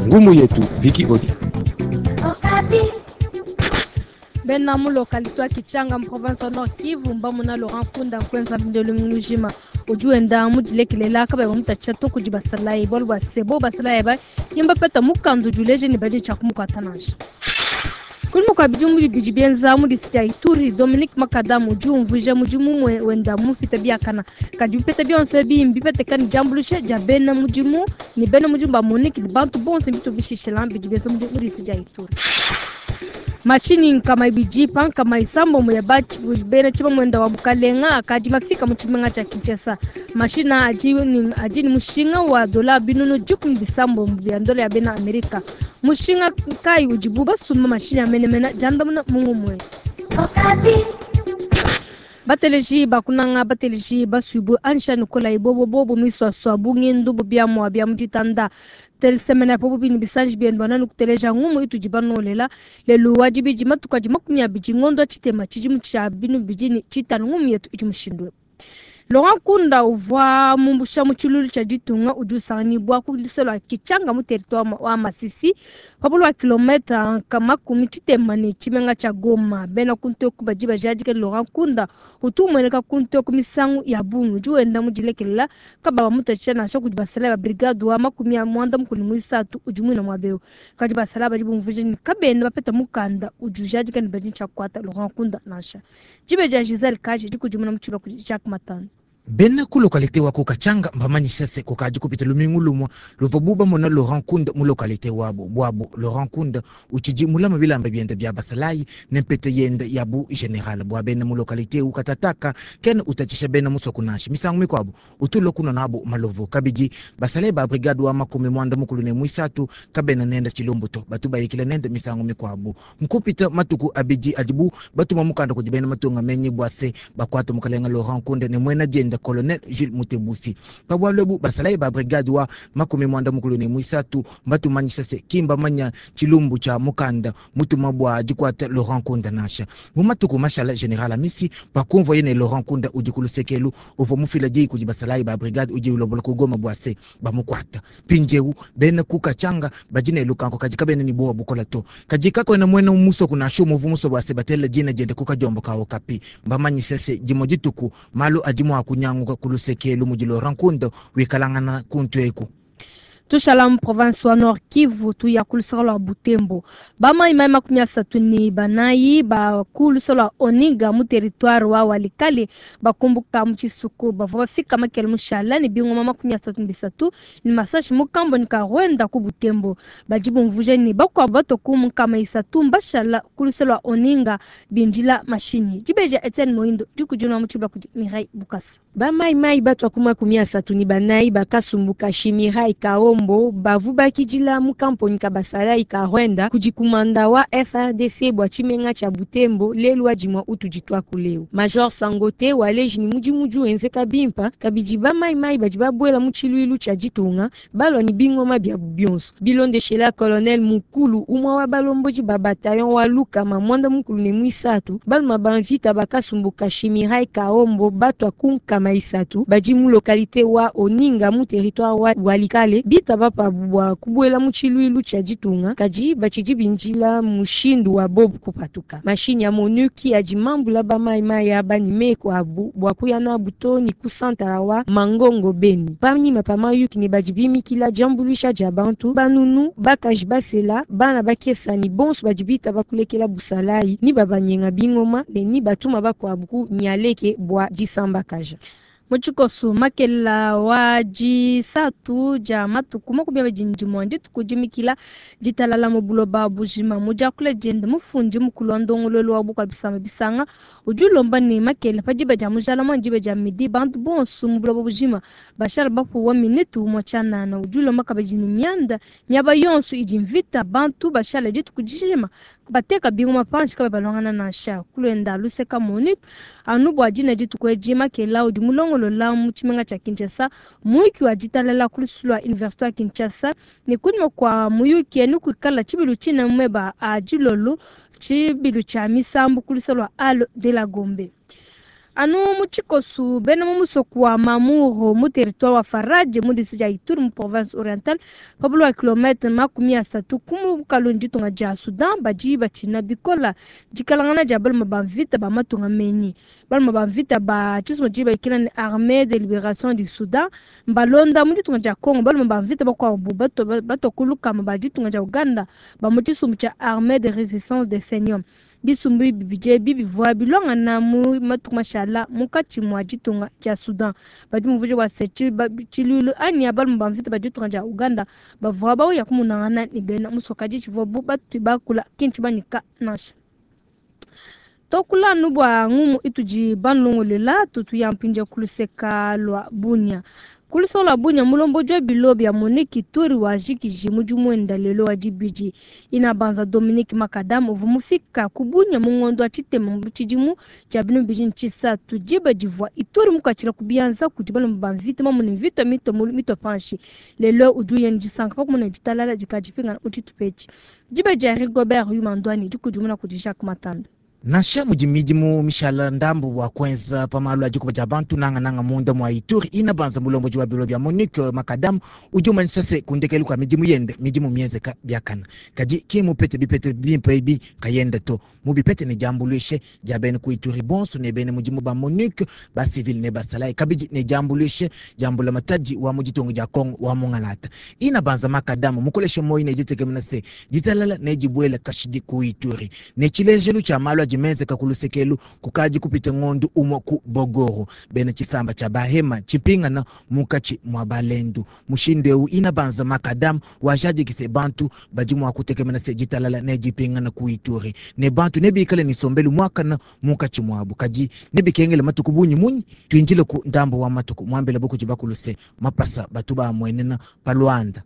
Ngumu yetu Vicky Odi. Bena mu localité wa Kitshanga mu province wa Nord Kivu mbamona Laurent Nkunda nkuenza mbindelu mujima udi wenda mudilekelela kabayi bamutatshisha to kudi basalayi bualu bua se bo basalayi ba ki mbapeta mukanda udi uleja ne badi tshia kumukuata nansha. Kunyima kua bidimu bibidi bienza mu distrike dia Ituri, Dominique Makadamu udi umvuija mudimu wenda mupita biakana. Kadi bipeta bionso ebi mbipeteka ne diambuluisha dia bena mudimu ne bena mudimu ba MONUC ne bantu bonso bitu bishishila bidi bienza mudimu mu distrike dia Ituri. Mashinyi 200 pa 60 ya bena tshimamuenda wa bukalenga akadi mafika mu tshimenga tshia Kinshasa. Mashinyi adi ne mushinga wa dola 170 bia ndola ya bena Amerika. Mushinga kayi udibu basumba mashinyi a menemene diandamuna mu ngumue. Bateleji bakunanga bateleji basuibue ansha Nikolai bobo bobo miswaswa bungindu bubiamua bia mu ditanda telesemena po bubini bisanji bienu bananu kuteleja ngumu itudi banolela lelu wa dibidi matuku adi 20 ngondo tshitema tshidimu tshia binu bidini tshitanu ngumu yetu idi mushindu. Laurent Nkunda uvua mumbusha mu tshilulu tshia ditunga udi usanganyibua ku luseke lua Kitshanga mu territoire wa Masisi pa lua kilometre 60 ne tshimenga tshia Goma. Bena kuntoku badi bajadika Laurent Nkunda utu umueneka kuntoku misangu ya bungi udi wenda mudilekelela kababa mutatshisha nansha kudi basalayi ba brigade wa 93 udi muina muabeu. Kadi basalayi badi bumvuija ne kabena bapeta mukanda udi ujadika ne badi tshia kukuata Laurent Nkunda nansha. Dibe dia Giselle Kaji dikudimuna mu tshiba kudi Jacques Matano. Bena ku localité wa ku Katshanga mbamanyisha se kukadi kupita lumingu lumue luvua bu bamona Laurent Nkunda mu localité wabo buabo. Laurent Nkunda utshidi mulama bilamba biende bia basalayi ne mpete yende ya bu general bua bena mu localité u katataka kena utatshisha bena musoko nansha misangu mikuabo utulua kunua nabo malovu. Kabidi basalayi ba brigade wa 93 kabena nenda tshilumbu to batu bayikila nende misangu mikuabo. Nkupita matuku abidi adibu batuma mukanda kudi bena matunga menyi bua se bakuata mukalenga Laurent Nkunda ne muena dienda Colonel Jules Mutebusi. Pabwalo ebu basalayi ba brigade wa 93 batumanyisha se kimba manya tshilumbu tshia mukanda mutuma bua dikuata Laurent Nkunda nansha. Mu matuku mashala General Amisi pakumvuaye ne Laurent Nkunda udi ku lusekelu uvua mufila diyi kudi basalayi ba brigade udi ulombola ku Goma bua se bamukuata. Mpindieu bena ku Katshanga badi ne lukanko kadi kabena ne buowa bukola to. Kadi kakuena muena musoko nansha umue uvua musue bua se batela dina diende ku kadiombo ka Okapi. Mbamanyisha se dimue dituku malu adi mua kunyanguka ku lusekelu mudi Laurent Nkunda wikalangana kuntu eku. Tushala mu province wa Nord Kivu tuya ku luseke lua Butembo. Bamaimai 34 ba ku luseke lua Oniga mu territoire wa Walikale bakumbuka mu tshisuku bavua bafika makele mushala ne bingoma 33 ne masashi mu kamboni ka Rwanda ku Butembo. Badi bumvuija ne bakuabu bato ku 300 mbashala ku luseke lua Oninga bindila mashinyi. Dibeja Etienne Moindo dikudinwa mu tshiba kudi Mireille Bukasa. Bamaimai batwa ku 34 bakasumbuka Shimirai Kaombo bavu bakidila mu kamponi ka basalayi ka Rwanda kudi kumanda wa FRDC bua tshimenga tshia Butembo lelu wa dimua utudi twakuleu. Major Sangote waleji ni mudimu udi wenzeka bimpa kabidi bamaimai badi babuela mu tshiluilu tshia ditunga balua ni bingoma biabu bionso. Bilondeshela colonel Mukulu umwa wa balomboji ba bataillon wa Lukama mwanda mukulu ne mwisatu baluma banvita bakasumbuka Shimirai Kaombo batwa ku 300 badi mu localité wa Oninga mu territoire wa Walikale bita bapa bua kubuela mu tshiluilu tshia ditunga kadi batshidi bindila mushindu wa bobu kupatuka. Mashinyi ya MONUC adi mambula bamaimai aba ni meko abu bua kuya nabu to ni ku santala wa Mangongo Beni. Panyima pa mayuki ne badi bimikila diambuluisha dia bantu banunu bakaji basela bana bakesa ni bonso badi bita bakulekela busalayi ni babanyenga bingoma ne ni batuma bakuabu ku nyaleke bua disambakaja. Mu tshikoso makela wa disatu dia matuku 21 dituku dimikila ditalala mu buloba bujima. Mu diakula diende mufundi mukulu wa ndongoluelu wa bukua bisamba bisanga udi ulomba ne makela pa diba dia mujala mwa diba dia midi bantu bonso mu buloba bujima bashala bapuwa minute umue tshianana. Udi ulomba kabidi ne mianda miaba yonso idi mvita bantu bashala dituku dijima bateka bingoma panshi kabe balongana nansha. Kulwenda luseka MONUC anu bua dina dituku edi makela udi mulongolola mu tshimenga tshia Kinshasa muyuki wa ditalala ku lususu lua université wa Kinshasa ne kunyima kua muyuki enu kuikala tshibilu tshina meba a dilolo tshibilu tshia misambu ku lusa lua Hall de la Gombe. Anu mu tshikosu, bena mu musoko wa Mamuro mu territoire wa Faradje mu district dia Ituri mu province orientale pa bule wa kilometre 30 ku mukalu ne ditunga dia Soudan badi batshina bikola dikalangana dia balume ba mvita ba matunga menyi. Balume ba mvita ba tshisumbu tshidi babikila ne Armee de Liberation du Soudan mbalonda mu ditunga dia Congo balume ba mvita bakuabu batua ku lukama ba ditunga dia Ouganda ba mu tshisumbu tshia Armee de Resistance de Seigneur. Bisumbu bibidi ebi bivua biluangana mu matuku mashala munkatshi mua ditunga dia Soudan. Badi bumvuija bua se, tshiluilu anyi balume ba mvita ba ditunga dia Ouganda bavua bauya kumonangana ne bena musoko, kadi tshivuabu batui bakula ki ntshimanyika nansha. Tuakula anu bua ngumu itudi banulongoluela, tutuya mpindieu ku luseka lua Bunia. Ku luseke lua Bunia, mulombodi wa bilo bia Monique Ituri wajikiji mudimu wenda lelo wa dibidi. Inabanza Dominique Makadam uvua mufika ku Bunia mu ngondo wa tshitema mu tshidimu tshia binunu bibidi ne tshisatu, diba divua Ituri mukuatshila ku bianza kudi balume ba mvita mamune mvita mitua mulu mitua panshi. Lelo udi uya ne disanka pa kumona ditalala dikadi dipingana mu tshitupa etshi. Diba dia Rigobert Yuma Ndwani dikudimuna kudi Jacques Matanda. Nansha mudi midimu mishala ndambu bua kuenza pa malu a dikuba dia bantu, nangananga munda mua Ituri, Inabanza mulombodi wa bilo bia MONUC Makadam udi umanyisha se, ku ndekelu kua midimu yende, midimu mienzeka biakana. Kadi ki mupete bipeta bimpe ebi nkayende to, mubipete ne diambuluishe dia bena ku Ituri bonso ne bena mudimu ba MONUC, ba civil ne basalayi, kabidi ne diambuluishe dia mbulamatadi wa mu ditunga dia Congo wa mungalata. Inabanza Makadam mukoleshe muoyo ne ditekemena se, ditalala nedibuele kashidi ku Ituri. Ne tshilejelu tshia malu adi menzeka ku luseke elu kukadi kupite ngondu umue ku Bogoro, bena tshisamba tshia Bahema tshipingana munkatshi mua Balendu. Mushindu eu Inabanza Makadam wajadiki se bantu badi mua kutekemena se ditalala nedipingana ku Ituri ne bantu nebikale ne nsombelu muakana munkatshi muabu. Kadi nebikengele matuku bungi munyi? Tuindile ku ndambu wa matuku, muambila bu kudi bakulu se mapasa batu baamuenena pa luanda.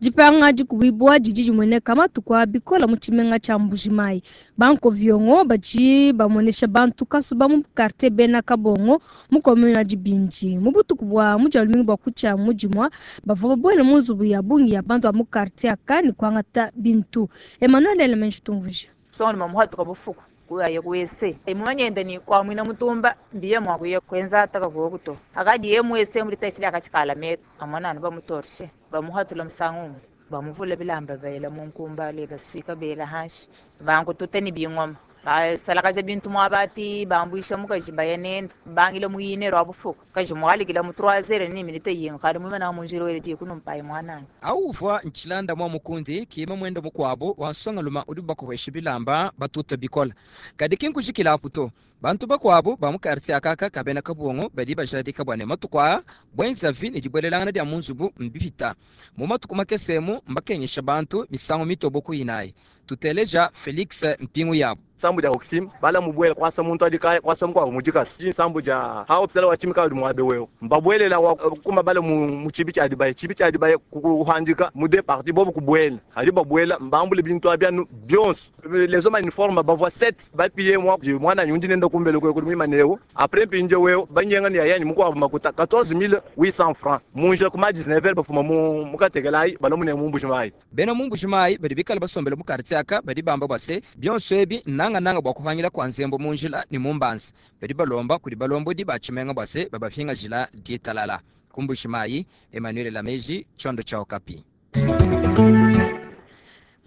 Dipanga dikubibua didi dimueneka matuku aa bikole mu tshimenga tshia Mbuji-Mayi. Ba-nkoviongo badi bamuenesha bantu kasuba mu kartie Bena Kabongo mu commune wa Dibindi. Mu butuku bua mu Dia lumingu bua kutshia mu Dimua, bavua babuele mu nzubu ya bungi ya bantu ba mu kartie aka ne kuangata bintu. Emmanuel Elemenji utumvuija. Songoloma muhatuka bufuku kuyaye ku ese mumanyende ni kwamwina mutumba mbiye mwa kuya kwenza ataka kuoku to akadi ye mu ese mulitashi lyakachikala metu amona bamutorshe bamuhatula musangu bamuvula bilamba bela munkumba le baswika bela hanshi bankututa ni bingoma basalakaja bintu mwabati bambwisha mukaji bayanenda bangile muyine rwa bufuku kaji mwalikila mu 3 ni minute yinga kali mumena munjiro wele ji kunumpayi mwanani Auva ntshilanda mwa mukundi kima mwendo mukwabo wansongaluma udi bakuhwesha bilamba batuta bikola kadi kinkujikila apu to bantu bakwabo ba mu quartier akaka kabena kabongo badi bajadika bwane matuku aa bwenzavi ne dibwelelangana dia munzubu mbipita mu matuku makesemu mbakengesha bantu misango mitobo kuyinayi tuteleja Felix Mpingu yabo sambu dia oxym bala mubwela kwasa muntu adikaya kwasa mkwabo mujikasi sambu dia ha hospital wa chimika mwabe wewe mbabwelela wa kuma bala mu chibi cha dibaye chibi cha dibaye kuhandika mu de parti bobo kubwela hadi babwela mbambule bintu abyanu byonso les hommes uniforme bavwa 7 bapiye mwa mwana nyundi nenda kumbele kwe kuri maneo après mpinje wewe banyenga ni ayanyi mkwabo makuta 14800 francs munje kuma 19 bafuma mu mukatekelai balomune mu Mbuji-Mayi bena mu Mbuji-Mayi badi bikala basombele mu quartier aka badi bamba bwase byonso ebi nanga nanga bwa kuhangila kwa nzembo munjila ni mumbanza badi balomba kuli balombodi ba tshimenga bwase babaphinga jila ditalala ku Mbuji-Mayi Emmanuel Lameji Chondo cha Okapi.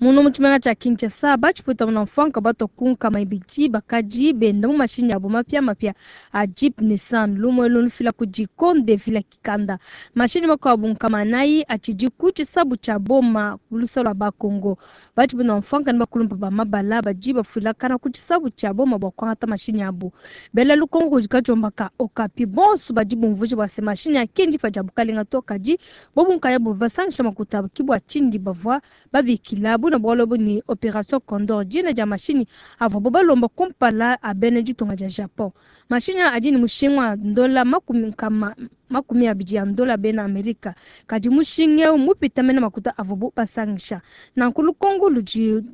Muno mu tshimenga tshia Kinshasa batshipuita muna mfuanka batokunka maibidi bakadi benda mu mashinyi abo mapia mapia a Jeep Nissan lumwe lunufila ku Jikonde vila Kikanda. Mashinyi makuabu nkamanayi atshidi ku tshisabu tshia boma lusa lua Bakongo. Batshipuita mfuanka ne bakulumpa ba mabala badi bafuilakana ku tshisabu tshia boma bua kuangata mashinyi abo. Bela lukongo kudi kajomba ka Okapi bonso badi bumvuija bua se mashinyi akendi pa dia bukalenga to kadi bobu nkaya bo basangisha makuta kibwa tshindi bavua babikila buna bwalo ni Opération Condor jina dia mashinyi avua bo balomba kumpala abene ditunga dia Japon. Mashinyi adi ni mushinga wa ndola 20 ya ndola bena Amerika kadi mushinga eu mupita mena makuta avua bo basangisha. Nanku lukongo ludi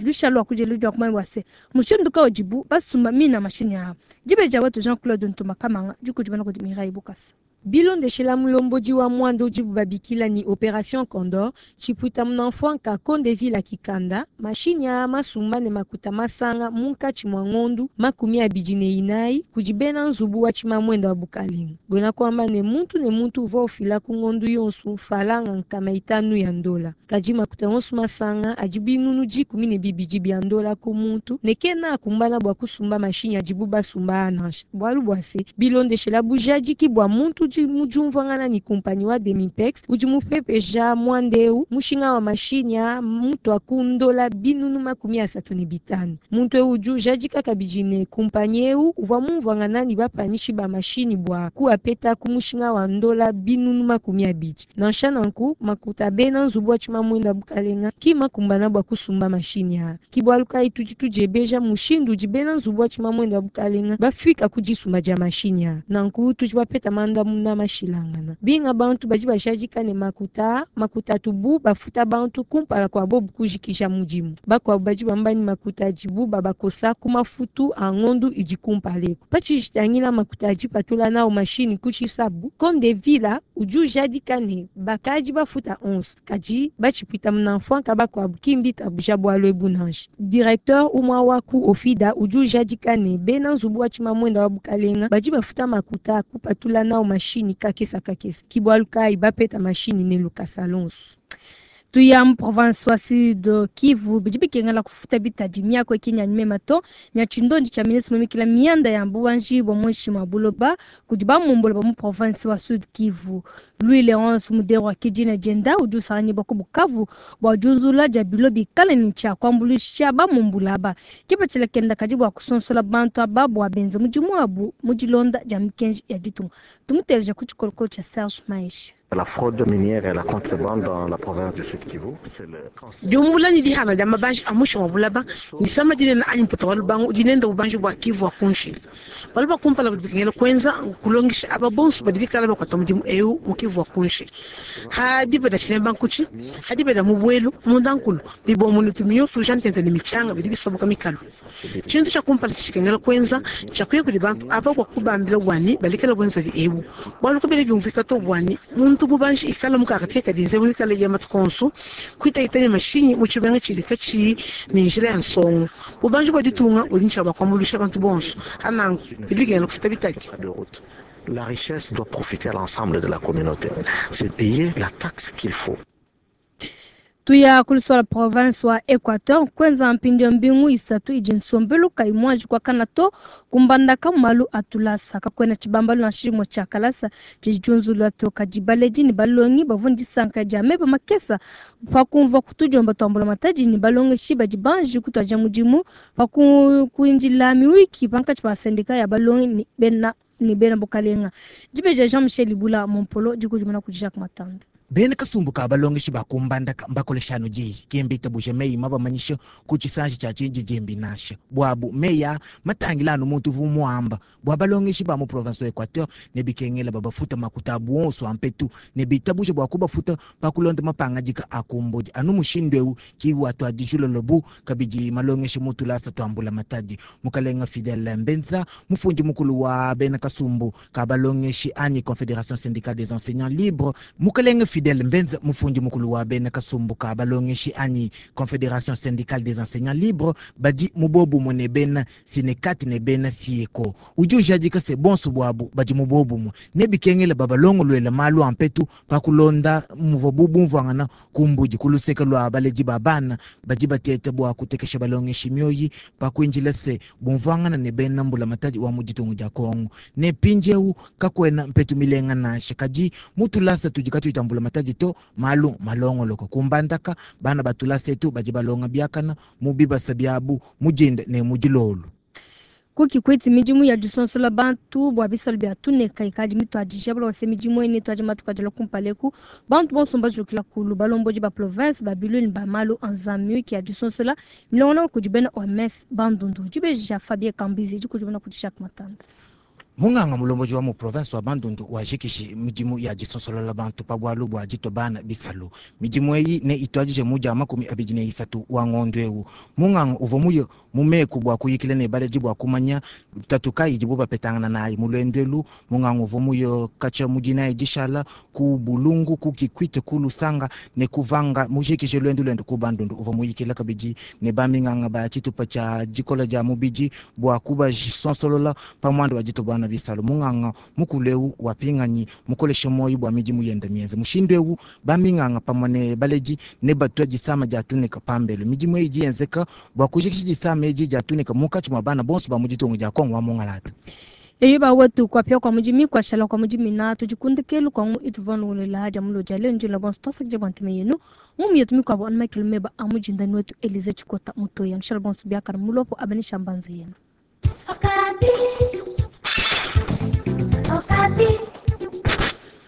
lushalwa kudi ludi kumanya wase mushindu ka udibu basumba mina mashinyi aa. Dibe dia wetu Jean-Claude Ntuma Kamanga dikudimana kudi Mireille Bukasa. Bilondeshela mulombodi wa mwanda udibu babikila ni Operation Condor, tshipuita munamfwanka Kondevila Kikanda, mashinyi aa masumba ne makuta masanga munkatshi mua ngondu 24 kudi bena nzubu wa tshimamwenda wa bukalenga. Buena kuamba ne muntu ne muntu uvua ufila ku ngondu yonsu falanga 500 ya ndola. Kadi makuta onsu masanga adi 12 000 bia ndola ku muntu ne kena akumbana bua kusumba mashinyi adibu basumba nansha. Bualu bua se bilondeshela bujadiki bua muntu udi mu diumvuangana ni kumpanyi wa Demimpex udi mupepeja mwanda eu, mushinga wa mashinyi a mutu akundola 35 000. Muntu eu udi ujadika kabidi ne kumpanyi eu uvua mumvuangana ni bapanyishi ba mashinyi bua kuapeta ku mushinga wa ndola 20 000. Nansha nanku makuta bena nzubu wa tshimamwenda bukalenga ki makumbana bua kusumba mashinyi aa. Ki bualu kayi tudi tudiebeja mushindu udi bena nzubu wa tshimamwenda bukalenga bafika ku disumba dia mashinyi aa. Nanku tudi bapeta mandamuna mashilangana. Binga bantu badi bajadika ne makuta makuta atubu bafuta bantu kumpala kua bobu kujikija mudimu. Bakuabu badi bamba ni makuta adibu babakosa ku mafutu a ngondu idi kumpala eku. Patshijitangila makuta adi patula nawo mashini ku tshisabu, Kondevila udi ujadika ne bakadi bafuta 11 kadi batshipwita munamfwanka bakuabu kimbi tabuja bualu ebu nansha. Directeur umwa wa ku Ofida udi ujadika ne bena nzubu wa tshimamwenda wa bukalenga badi bafuta makuta akupatula nawo mashini kakesa kakesa. Ki bualu kayi bapeta mashini ne lukasa lonso. Tuya mu province wa Sud Kivu, bidi bikengela kufuta bitadi miako ekinya mema to nya tshindondi tshia ministre mumikila mianda ya mbuwanji bwa muinshi mwa buloba kudi bamumbola ba mu province wa Sud Kivu. Louis Leonce Muderwa kidina dienda udi usanganyibwa ku Bukavu bua diunzula dia bilo bikale ne tshia kuambuluisha bamumbula aba. Kipatshila kenda kadi bua kusonsola bantu aba bua benze mudimu wabu mu dilonda dia mikenji ya ditunga. Tumuteleja ku tshikolokolo tshia Serge Maeshe. La fraude minière et la contrebande dans la province du Sud Kivu. C'est le Diumbula ni dihana dia mabanji a mushi wa bulaba ni sama dinene anyi mputa wa lubangu udi nenda bubanji bua Kivu wa kunshi. Balu bakumpala badi bikengela kuenza kulongesha aba bonso badi bikala bakuata mudimu eu mu Kivu wa kunshi. Hadi bada tshilemba nkuchi, hadi bada mu bwelu, munda nkulu, bibomu ne tumiyonso jantente ne michanga bidi bisabuka mikalu. Tshintu tshia kumpala tshikengela kuenza tshiakuya kudi bantu aba bua kubambila bwani balikela bwenzavi ebu. Bualu kubele byumvika to bwani muntu bubanji ikala mu quartier kadinze mu ikala ya matukonsu kwita ne mashinyi mu tshibenga tshili katshi ne njila ya nsongo. Bubanji bua ditunga budi ntshia bakwambuluisha bantu bonso hanangu bidi bikengela kufuta bitadi. De route. La richesse doit profiter à l'ensemble de la communauté. C'est payer la taxe qu'il faut. Tuya kulisola province wa Equateur kwenza mpindio mbingu isatu idi nsombelu kayi mwanji kwa kana to kumbandaka malu atulasa kakwena tshibambalu na tshilimo tshia kalasa tshijunzulwa to kadi baledi ni balongi bavundi sanka dia meba makesa pakumva kutujomba twambula matadi ni balongeshi badi banji kutwaja mudimu pakuindila miwiki pankatshi pa sendika ya balongi ni bena bukalenga. Dibeja Jean Michel Ibula Mompolo dikujumana kudi Jacques Matanda. Bena kasumbu ka balongeshi bakumbandaka mbakoleshano jiyi kembita buja meyi mabamanyisha ku tshisanji tshia tshinji jembi nasha bwabu meya matangila anu muntu vu muamba bwa balongeshi ba mu province wa Equateur ne bikengela babafuta makuta abu onso ampetu ne bitabusha bua kubafuta pakulonda mapangadika akumbodi anu mushindu eu kiwa twadijulo bu kabidi malongeshi mutulasa twambula matadi. Mukalenga Fidel Mbenza, mufundi mukulu wa bena kasumbu ka balongeshi anyi Confédération syndicale des enseignants libres. Mukalenga Fidel Mbenza, mufundi mukulu wa bena kasumbu ka balongeshi anyi Confédération syndicale des enseignants libres badi mubobu ne bena sinekati ne bena sieko, udi ujadika se bonso bwabu badi mubobu ne bikengela babalongolwela malu ampetu pakulonda muvo bubumvwangana kumbudi kuluseka lwa baledi ba bana badi batete bua kutekesha balongeshi mioyi pakuinjila se bumvwangana ne bena mbula matadi wa muditungu dia Kongo ne pinjeu kakwena mpetu milenga nasha. Kadi mutulasa tudi katuitambula matadi to malu malongoloko kumbandaka bana batulasa etu badi balonga biakana mu bibasa biabu mujinda ne mujilolu. Kuki kweti midimu ya disonsola bantu bua bisalo bia tuneka ikadi mituadija balwase midimu ene tuadi matuka dila kumpaleku bantu bonso mbajukila kulu balombodi ba province babiloni ba malu anzamiki ya disonsola milongona kudi bena OMS Bandundu. Dibeja Fabien Kambizi dikudimuna kudi Jacques Matanda. Munganga mulomboji wa mu province wa Bandundu wajikishi midimu ya disonsolola bantu pa bwalu bwa ditwa bana bisalu. Midimu eyi ne itwadije mu dia 23 wa ngondo eu. Munganga uvua muye mu meku bua kuyikila ne baledi bua kumanya tatu kayi idibu bapetangana nayi mu luendu elu. Munganga uvua muye katshia mu dinayi dishala ku Bulungu, ku Kikwit, ku Lusanga ne ku Vanga, mujikije luendu luende ku Bandundu. Uvua muyikila kabidi ne baminganga ba tshitupa tshia dikola dia mubidi bua kubasonsolola pa muanda wa ditwa bana bisalu. Munganga mukulu eu wapinganyi mukoleshe moyo bua midimu yenda mienze. Mushindu eu baminganga pamue ne baledi ne batua disama dia tunika pambelu. Midimu eyi idi yenzeka bua kujikija disama edi dia tunika munkatshi mua bana bonso ba mu ditunga dia Kongo wa Mungalata. Eyo ba wetu kwapia kwa mujimi kwashala kwa mujimi na tujikundikelu kwa ngu ituvonungulela dia mulo dia leo njula bonso twasakija bwa ntema yenu ngumu yetu mikwabo anu Michael Meba amujinda wetu Elize Chikota mutoya nshala bonso biakana mulopo abanisha mbanza yenu. Okapi. Okapi.